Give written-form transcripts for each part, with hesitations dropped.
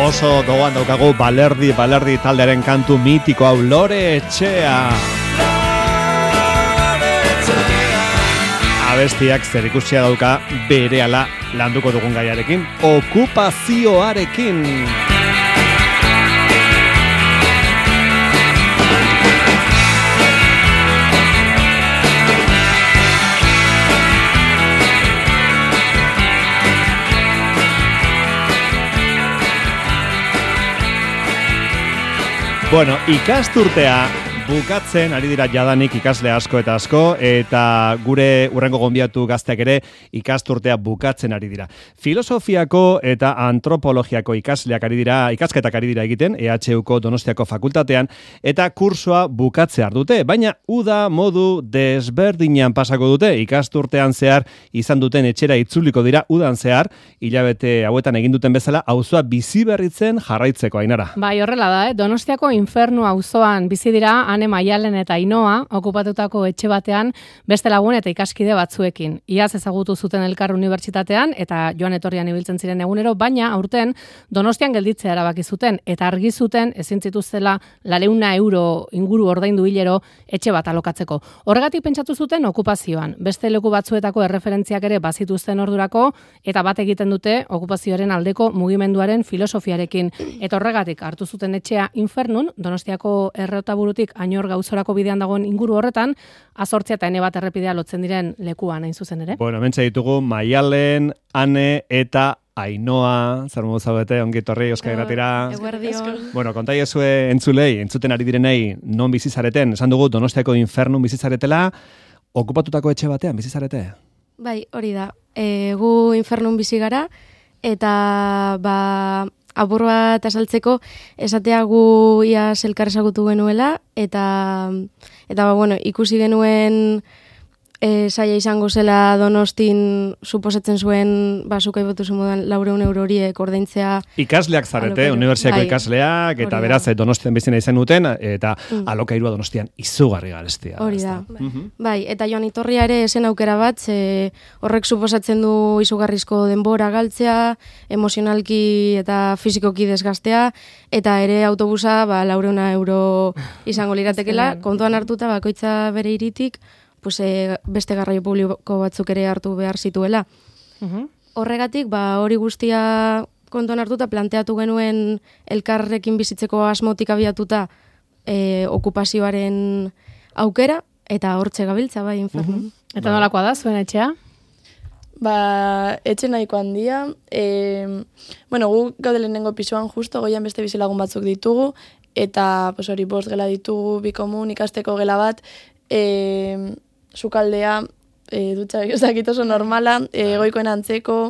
Oso gogoan daukagu Balerdi taldearen kantu mitiko hau, Lore Etxea. Abestiak zerikusia dauka berehala landuko dugun gaiarekin, okupazioarekin. Bueno, ikasturtea bukatzen ari dira jadanik ikasle asko eta gure urrengo gonbiatu gazteak ere ikasturtea bukatzen ari dira. Filosofiako eta antropologiako ikasketak ari dira egiten EHUko Donostiako fakultatean eta kursoa bukatze dute, baina uda modu desberdinan pasako dute. Ikasturtean zehar izan duten etxera itzuliko dira udan zehar, hilabete hauetan egin duten bezala auzoa bizi berritzen jarraitzeko, Ainara. Bai, horrela da, Donostiako Infernu auzoan bizi dira Ane, Maialen eta Ainoa okupatutako etxe batean beste lagun eta ikaskide batzuekin. Iaz ezagutu zuten elkar unibertsitatean eta joan etorrian ibiltzen ziren egunero, baina aurten Donostian gelditzea erabaki zuten eta argi zuten ezin zituztela 400 euro inguru ordaindu hilero etxe bat alokatzeko. Horregatik pentsatu zuten okupazioan. Beste leku batzuetako erreferentziak ere bazituzten ordurako eta bat egiten dute okupazioaren aldeko mugimenduaren filosofiarekin. Eta horregatik hartu zuten etxea Infernun, Donostiako errotaburutik Añor Gauzorako bidean dagoen inguru horretan, A8 eta N1 errepidea lotzen diren lekuan hain zuzen ere. Bueno, hementxe ditugu Maialen, Ane eta Ainoa, zer modu zaudete, ongi etorri Euskal Irratira. Bueno, kontaiezue entzuten ari direnei non bizizareten, esan dugu Donostiako Infernun bizizaretela, okupatutako etxe batean bizizarete? Bai, hori da. Gu Infernun bizi gara, eta apur bat asaltzeko esatea gu iaz elkar ezagutu genuela, eta bueno, ikusi genuen saia izango zela Donostin suposatzen zuen zuk aipatu moduan 400 euro horiek ordaintzea. Ikasleak zarete, unibertsiako ikasleak, eta beraz Donostian bizina izan duten, eta alokairua Donostian izugarri garestia. Hori da. Bai, eta joan itorria ere esen aukera bat, horrek suposatzen du izugarrizko denbora galtzea, emozionalki eta fizikoki desgastea, eta ere autobusa 400 euro izango liratekela, kontuan hartuta bakoitza bere hiritik, beste garraio publiko batzuk ere hartu behar zituela. Horregatik, hori guztia kontuan hartuta planteatu genuen elkarrekin bizitzeko asmotik abiatuta okupazioaren aukera, eta hortxe gabiltza, bai, Infernun. Eta nolakoa da, zuen etxea? Etxe nahiko handia. Bueno, gu gaude lehenengo pisoan justo, goian beste bizilagun batzuk ditugu, eta hori 5 gela ditugu, 2 komun, ikasteko gela bat, sukaldea, dutxa, ez dakit oso normala, goikoen antzeko,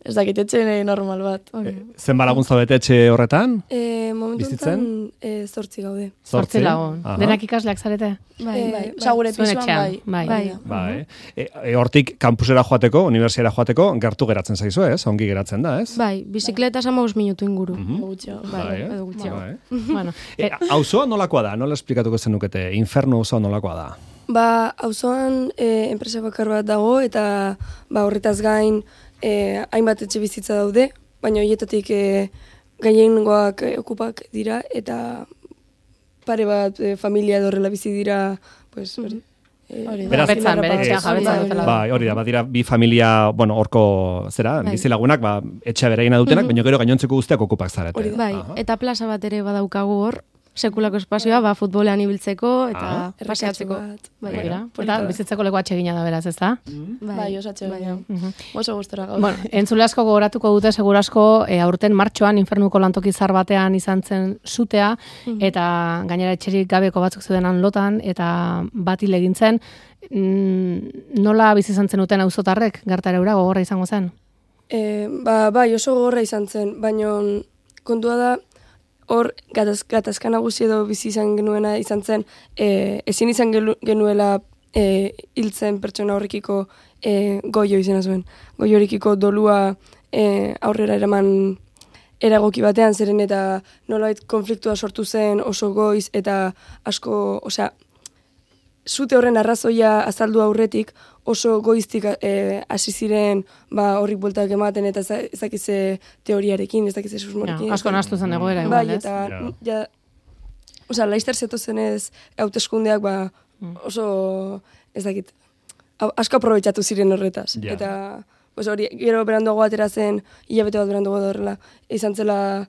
ez dakit etxe normal bat. Zenba lagun zaudete etxe horretan? Momentuntan 8 gaude. 8 lagun. Denak ikasleak zarete? Bai. Gure pisoan, bai. Hortik kampusera joateko, unibertsiara joateko, gertu geratzen zaizu, ez? Ongi geratzen da, ez? Bai, bizikleta 15 minutu inguru. Auzoa nolakoa da? Nola esplikatuko zenukete? Infernu auzoa nolakoa da? Auzoan enpresa bakar bat dago, eta horretaz gain hainbat etxe bizitza daude, baina horietatik gehiengoak okupak dira, eta pare bat familia horrela bizi dira, hori. Jabetzan, bere etxea jabetzan dutela. Bai, hori da, badira bi familia, horko bizilagunak, etxea bereina dutenak, baina gero gainontzeko guztiak okupak zarete. Bai, eta plaza bat ere badaukagu hor, sekulako espazioa, futbolean ibiltzeko eta paseatzeko. Eta bizitzeko leku atsegina da beraz, ez da? Bai, oso atsegina. Oso gustora gaude. Bueno, entzule asko gogoratuko dute, segurasko, aurten martxoan Infernuko lantoki zar batean izan zen zutea, eta gainera etxerik gabeko batzuk zeudenan lotan, eta bat hil egin zen. Nola bizi izan zenuten auzotarrek, gertara eura gogorra izango zen? Bai, oso gogorra izan zen, baina kontua da, hor, gatazka nagusi edo bizi izan genuena izan zen, ezin izan genuela hiltzen pertsona horrekiko goio izena zuen. Goio horrekiko dolua aurrera eraman eragoki batean, zeren eta nolabait konfliktua sortu zen oso goiz, eta asko, zute horren arrazoia azaldu aurretik, oso goiztik hasi ziren horrik bueltak ematen eta ez dakize teoriarekin, ez dakize susmorekin. Asko nahastu zen egoera, bai, igual, ez? Eta, laizter zetozenez hauteskundeak oso, ez dakit, asko aprobetxatu ziren horretaz. Ja. Eta, hori, gero beranduago atera zen, hilabete bat beranduago da horrela, izan zela,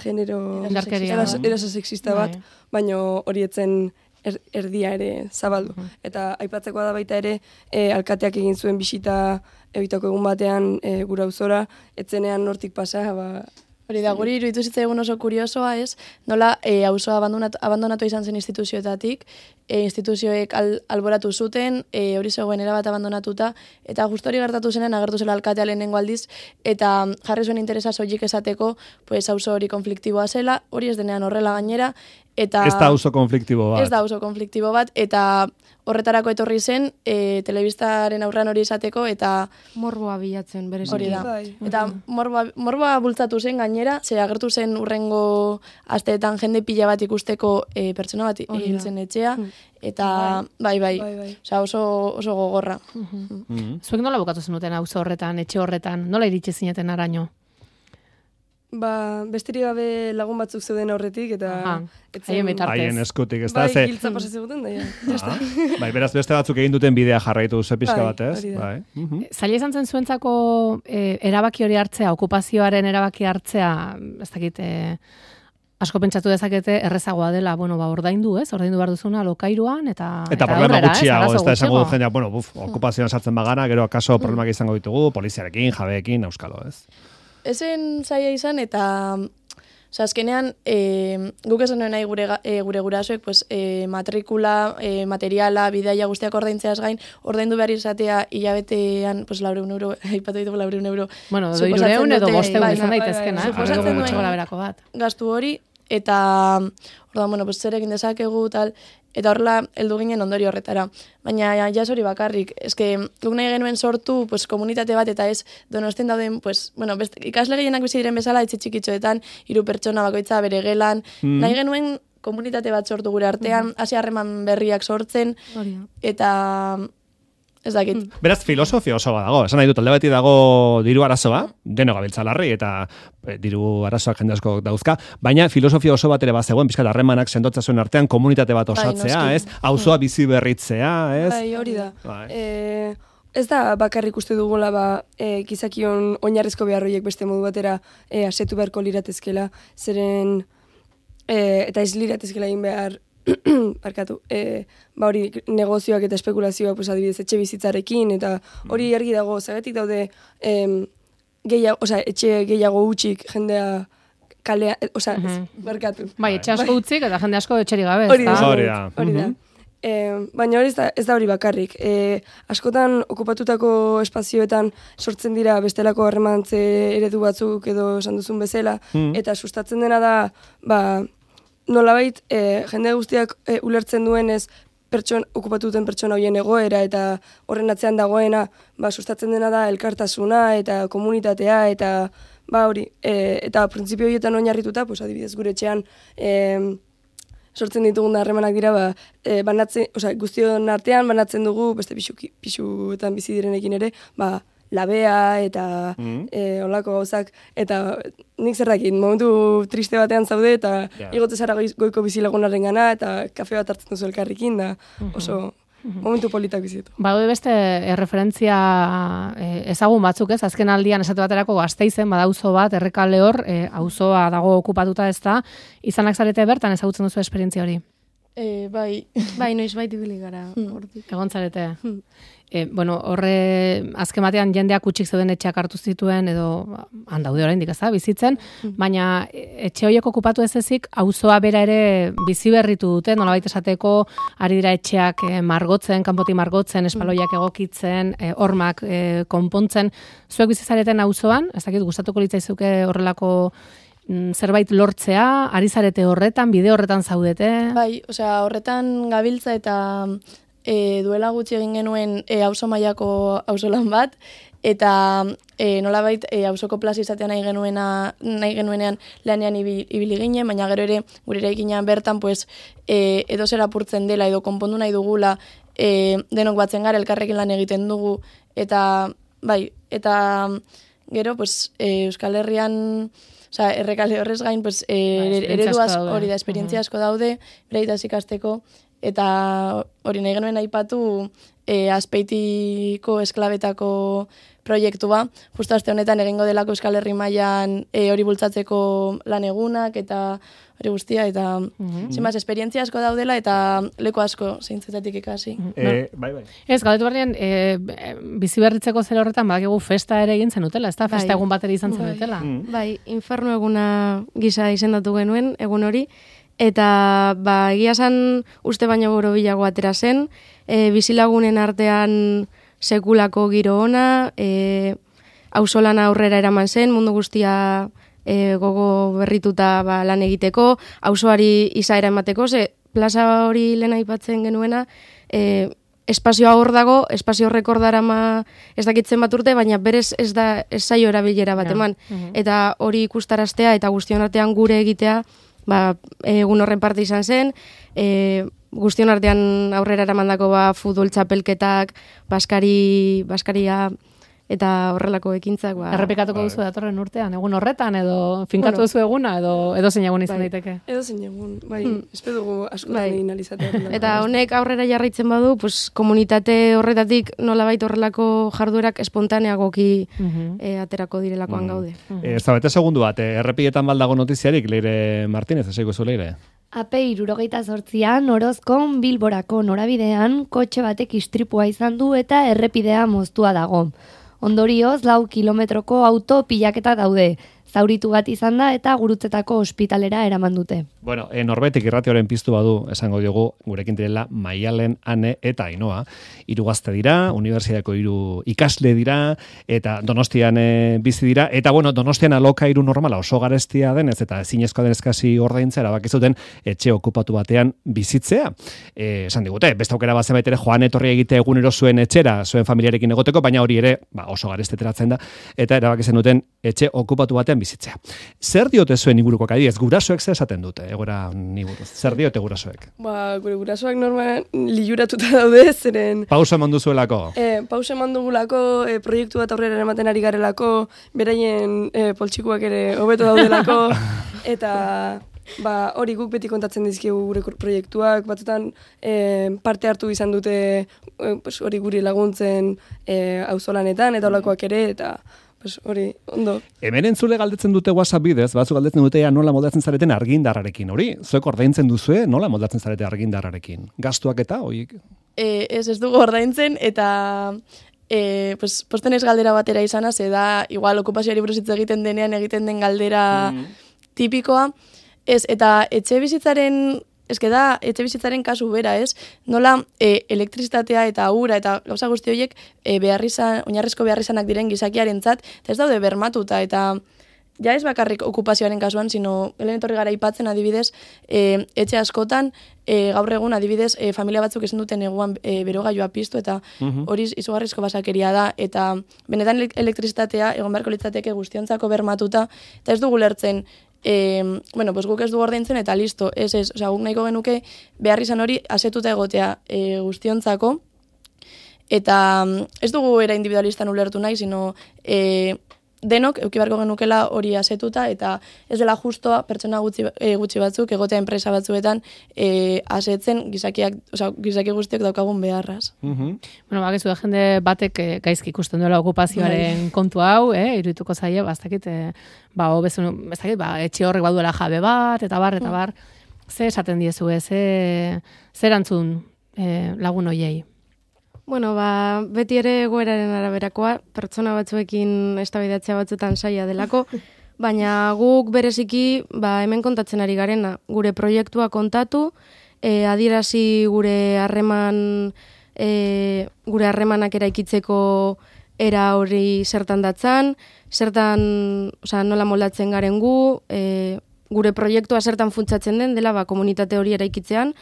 genero... Indarkeria. Eraso sexista bat, baina hori etzen erdia ere zabaldu. Eta aipatzekoa da baita ere, alkateak egin zuen bisita egiteko egun batean gura auzora, etzenean nortik pasa, Hori da, guri iruditu zitzaigun oso kuriosoa, ez? Nola, auzoa abandonatu izan zen instituzioetatik, instituzioek alboratu zuten, hori zegoen erabat abandonatuta, eta justo hori gertatu zenen agertu zela alkatea lehenengo aldiz, eta jarri zuen interesa soilik esateko, pues auzo hori konfliktiboa zela, hori ez denean horrela gainera, eta... Ez da auzo konfliktibo bat. Ez da auzo konfliktibo bat, eta horretarako etorri zen, telebistaren aurrean hori esateko, eta... Morboa bilatzen, berez. Hori da. Bai. Eta morboa bultzatu zen gainera, ze agertu zen urrengo asteetan jende pila bat ikusteko pertsona bat hil zen etxea, eta bai. Osea, oso gogorra. Zuek nola bukatu zenuten auzo horretan, etxe horretan, nola iritsi zineten araño? Besterik gabe lagun batzuk zeuden horretik, eta... Haien bitartez. Haien eskutik, ez da? Bai, giltza pasaziguten, da, Bai, beraz, beste batzuk egin duten bidea jarraitu pixka bat, ez? hori da. Bai. Zaila izan zen zuentzako erabaki hori hartzea, okupazioaren erabaki hartzea, ez dakit, asko pentsatu dezakete errezagoa dela, ordaindu, ez? Ordaindu behar duzuna lokairuan, eta problema aurrera, gutxiago, ez da esango du gutxiago. jendeak, okupazioan sartzen bagara, gero akaso problemak izango ditugu, poliziarekin, jabeekin, auskalo, ez? Ezen zaila izan, eta... Osa, azkenean, guk esan nuen nahi gure gurasoek, pues, matrikula, materiala, bidaia guztiak ordaintzeaz gain, ordaindu behar izatea hilabetean, pues, 400 euro, aipatu ditugu 400 euro. Bueno, 300 edo 500 izan daitezkena, suposatzen gutxi gora berako bat. Gastu hori, eta, orduan, pues, zer egin dezakegu, tal, eta horrela heldu ginen ondorio horretara. Baina jas hori bakarrik, eske guk nahi genuen sortu pues, komunitate bat eta ez Donostian dauden, pues, ikasle gehienak bizi diren bezala etxe txikitxoetan, 3 pertsona bakoitza bere gelan, nahi genuen komunitate bat sortu gure artean, hasi harreman berriak sortzen, eta... Ez dakit. Beraz, filosofia oso bat dago. Esan nahi dut, alde beti dago diru arazoa, deno gabiltza larri, eta diru arazoak jende asko dauzka, baina filosofia oso bat ere bat zegoen, pixkat harremanak sendotza zuen artean, komunitate bat osatzea, ez? Auzoa bizi berritzea, ez? Bai, hori da. Ez da bakarrik uste dugula gizakion oinarrizko beharroiek beste modu batera asetu beharko liratezkela, zeren eta ez liratezkela egin behar barkatu, hori negozioak eta espekulazioak, pues, adibidez, etxe bizitzarekin, eta hori argi dago, zagatik daude etxe gehiago utxik jendea kalea, barkatu. Bai, etxe asko utzik eta jende asko etxerik gabe, Hori ez da. Baina hori ez da hori bakarrik. Askotan okupatutako espazioetan sortzen dira bestelako harremantze eredu batzuk edo esan duzun bezala, eta sustatzen dena da, nolabait, jende guztiak ulertzen duenez okupatuten pertsona horien egoera eta horren atzean dagoena, sustatzen dena da elkartasuna eta komunitatea eta hori, eta printzipio horietan oinarrituta, pues, adibidez gure etxean sortzen ditugun harremanak dira, guztion artean banatzen dugu, beste pixuetan bizi direnekin ere, labea eta olako gauzak, eta nik zerrakin, momentu triste batean zaude, eta igote zara goiko bizilagunaren gana, eta kafe bat hartzen duzu elkarrekin, da oso momentu politak bizitu. Badaude beste referentzia ezagun batzuk, ez? Azken aldian esate baterako Gasteizen badauzo bat, Errekale hor, auzoa dago okupatuta ez da, izanak zarete bertan ezagutzen duzu esperientzia hori? Bai, noiz baita ibili gara. Egon zarete. Horre azken batean jendeak utxik zeuden etxeak hartu zituen edo handaude oraindik ez da bizitzen, baina etxe horiek okupatu ez ezik auzoa bera ere bizi berritu dute, nolabait esateko ari dira etxeak margotzen, kanpotik margotzen, espaloiak egokitzen, hormak konpontzen. Zuek bizi zareten auzoan, ez dakit gustatuko litzaizuke horrelako zerbait lortzea, ari zarete horretan, bide horretan zaudete? Bai, horretan gabiltza eta duela gutxi egin genuen auzo mailako auzolan bat, eta nolabait auzoko plaza izatea nahi genuenean lanean ibili ginen, baina gero ere gure eraikinean bertan pues edo zer apurtzen dela edo konpondu nahi dugula, denok batzen gara elkarrekin lan egiten dugu, eta bai, eta gero pues Euskal Herrian, osea, Errekale horrez gain pues eredu hori da, esperientzia asko daude, bereitaz ikasteko, eta hori nahi genuen aipatu Azpeitiko esklabetako proiektua, justo aste honetan egingo delako Euskal Herri mailan hori bultzatzeko lan egunak eta hori guztia, eta zinbaz, esperientzia asko daudela eta leku asko zeintzetatik ikasi. Bai. Ez, galdetu barnean, bizi berritzeko zer horretan, badakigu festa ere egin zenutela, ez da? Festa egun batera izan zenutela. Bai, infernu eguna gisa izendatu genuen, egun hori, eta egia esan uste baino borobilago atera zen, bizilagunen artean sekulako giro ona, auzolana aurrera eraman zen, mundu guztia gogo berrituta lan egiteko, auzoari izaera emateko, ze plaza hori lehen aipatzen genuena, espazioa hor dago, espazio horrek hor darama ez dakitzen bat urte, baina berez ez zaio erabilera bat eman. Eta hori ikustaraztea eta guztion artean gure egitea, egun horren parte izan zen, guztion artean aurrera eramandako futbol txapelketak, baskaria eta horrelako ekintzak. Errepikatuko duzu datorren urtean, egun horretan, edo finkatu duzu eguna, edo zein egun izan daiteke? Edo zein egun, espero dugu asko egin alizatea. Eta honek aurrera jarraitzen badu, komunitate horretatik nolabait horrelako jarduerak espontaneagoki aterako direlakoan gaude. Ez da, bete segundu bat, errepietan baldago notiziarik, Leire Martínez, esaiko zu, Leire? AP 78an Orozkon Bilborako norabidean kotxe batek istripua izan du eta errepidea moztua dago. Ondorioz, 4 kilometroko auto pilaketa daude. Zauritu bat izan da eta Gurutzetako ospitalera eraman dute. Bueno, Norbetik irratioaren piztu badu, esango diogu, gurekin direla Maialen, Ane eta Ainoa. 3 gazte dira, unibertsitateko 3 ikasle dira, eta Donostian bizi dira, eta bueno, Donostian alokairu normala oso garestia denez, eta ezinezkoa denez kasi ordaintzea, erabaki zuten etxe okupatu batean bizitzea. Esan digute, beste aukera bat zenbait ere joan etorri egite egunero zuen etxera, zuen familiarekin egoteko, baina hori ere, oso garesteteratzen da, eta erabaki zen duten etxe okupatu batean bizitzea. Zer diote zuen inguruko adibidez, gurasoek zer esaten dute, egora ni buruz? Zer diote gurasoek? Gure gurasoak normal liuratuta daude, zeren... Pausa eman duzuelako? Pausa eman dugulako, proiektu bat aurrera ematen ari garelako, beraien poltsikuak ere hobeto daudelako, eta... hori guk beti kontatzen dizkigu gure proiektuak, batzutan parte hartu izan dute hori guri laguntzen auzolanetan eta holakoak ere, eta hori, ondo. Hemen entzule galdetzen dute WhatsApp bidez, batzuk galdetzen dute nola moldatzen zareten argindarrarekin, hori? Zuek ordaintzen duzue, nola moldatzen zarete argindarrarekin? Gastuak eta, horiek? Ez dugu ordaintzen, eta... posten ez galdera batera izana, ze da, igual okupazioari buruz hitz egiten denean egiten den galdera tipikoa. Ez, eta etxe bizitzaren kasu bera, ez? Nola elektrizitatea eta ura eta gauza guzti horiek oinarrizko beharrizanak diren gizakiarentzat, eta ez daude bermatuta, eta ja ez bakarrik okupazioaren kasuan, sino helen etorri gara aipatzen adibidez, etxe askotan, gaur egun adibidez, familia batzuk ezin duten eguan berogailua piztu, eta hori izugarrizko basakeria da, eta benetan elektrizitatea egon beharko litzateke guztiontzako bermatuta, eta ez dugu lertzen, guk ez du ordaintzen eta listo, guk nahiko genuke behar izan hori asetuta egotea guztiontzako, eta ez dugu era individualistan ulertu nahi, sino denok euki beharko genukela hori asetuta, eta ez dela justoa pertsona gutxi batzuk egotea enpresa batzuetan asetzen gizaki guztiok daukagun beharraz. Bueno, bakizu da jende batek gaizki ikusten duela okupazioaren kontu hau, iruituko zaie, bastakit, etxe horrek baduela jabe bat, eta bar, ze esaten diezu, ze erantzun lagun hoiei? Bueno, beti ere egoeraren araberakoa, pertsona batzuekin eztabaidatzea batzuetan saia delako, baina guk bereziki hemen kontatzen ari garena, gure proiektua kontatu, adierazi gure harremanak eraikitzeko era hori zertan datzan, nola moldatzen garen gu, gure proiektua zertan funtsatzen den dela komunitate hori eraikitzean,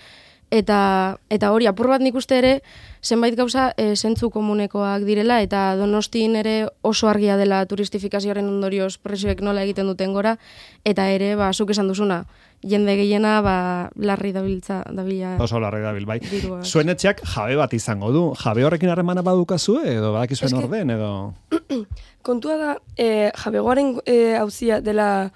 eta hori apur bat nik uste ere, zenbait gauza zentzu komunekoak direla, eta Donostin ere oso argia dela turistifikazioaren ondorioz prezioek nola egiten duten gora, eta ere, zuk esan duzuna, jende gehiena larri dabila. Oso larri dabil, bai. Dirua. Zuen etxeak jabe bat izango du. Jabe horrekin harremana badukazue, edo badakizuen orden, edo... Kontua da, jabegoaren hauzia dela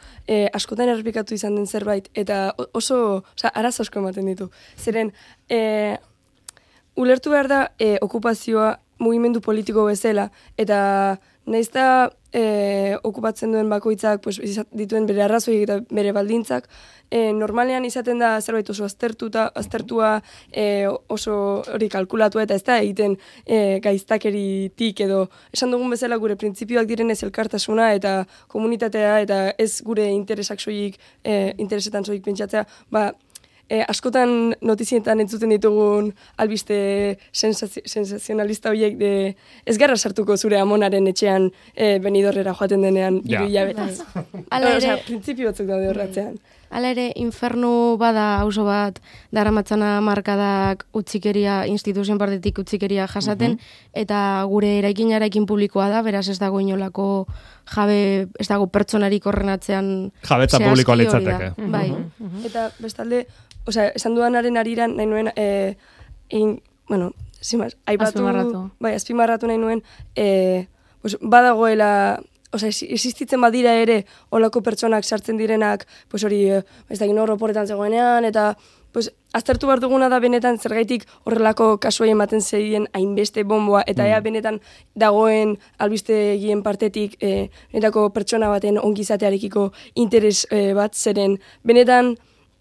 askotan errepikatu izan den zerbait, eta oso, arazo asko ematen ditu. Zeren, ulertu behar da okupazioa mugimendu politiko bezala, eta nahiz da okupatzen duen bakoitzak dituen bere arrazoik eta bere baldintzak, normalean izaten da zerbait oso aztertua, oso hori kalkulatua, eta ez da egiten gaiztakeritik edo esan dugun bezala gure printzipioak direnez elkartasuna eta komunitatea eta ez gure interesetan soilik pentsatzea, askotan notizietan entzuten ditugun albiste sensazionalista horiek ez garra sartuko zure amonaren etxean Benidorrera joaten denean hiru hilabetez. Hala ere, printzipio batzuk daude horratzean. Hala ere, infernu bada auzo bat daramatzana markadak utzikeria, instituzioen partetik utzikeria jasaten, eta gure eraikin publikoa da, beraz ez dago inolako jabe, ez dago pertsonarik horrenatzean jabetza publikoa litzateke. Bai. Eta bestalde, esan dudanaren ariran, nahi nuen, azpimarratu nahi nuen, badagoela, existitzen badira ere, olako pertsonak sartzen direnak, hori, ez da gino horretan zegoenean, eta aztertu behar duguna da benetan zergaitik horrelako kasuai ematen zeien hainbeste bomboa, eta ea benetan dagoen albistegien partetik benetako pertsona baten ongizatearekiko interes bat zeren. Benetan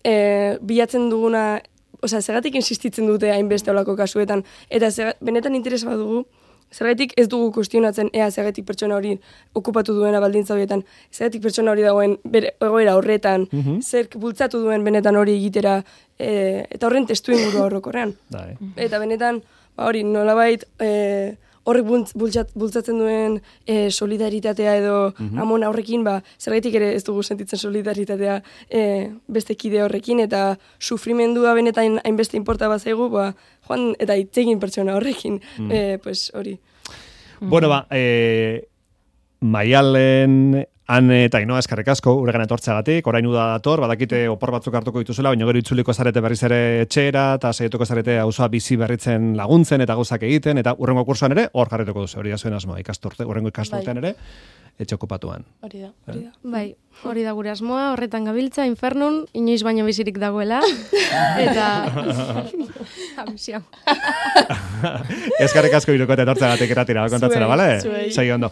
bilatzen duguna, zergatik insistitzen dute hainbeste olako kasuetan, eta benetan interes bat dugu, zergatik ez dugu kuestionatzen ea zergatik pertsona hori okupatu duena baldintza horietan, zergatik pertsona hori dagoen egoera horretan, zer bultzatu duen benetan hori egitera, eta horren testu inguru horrokorrean. Eta benetan, hori nolabait horrek bultzatzen duen solidaritatea edo amona horrekin, zergatik ere ez dugu sentitzen solidaritatea beste kide horrekin, eta sufrimendua benetan hainbeste inporta bat zaigu, joan eta itzegin pertsona horrekin, hori. Bueno, Maialen, Ane eta Ainoa eskerrik asko uregan etortzeagatik, orain uda dator, badakite opor batzuk hartuko dituzela, baina gero itzuliko zarete berriz ere etxera, eta saietuko zarete auzoa bizi berritzen laguntzen eta gauzak egiten, eta urrengo kursoan ere hor jarrituko duzu, hori da zuen asmoa, urrengo ikasturtean ere, etxe okupatuan. Hori da. Bai, hori da gure asmoa, horretan gabiltza, infernun, inoiz baino bizirik dagoela, eta... Eskerrik asko iruko eta etortzeagatik eratira, kontatzera, bale? Segi ondo.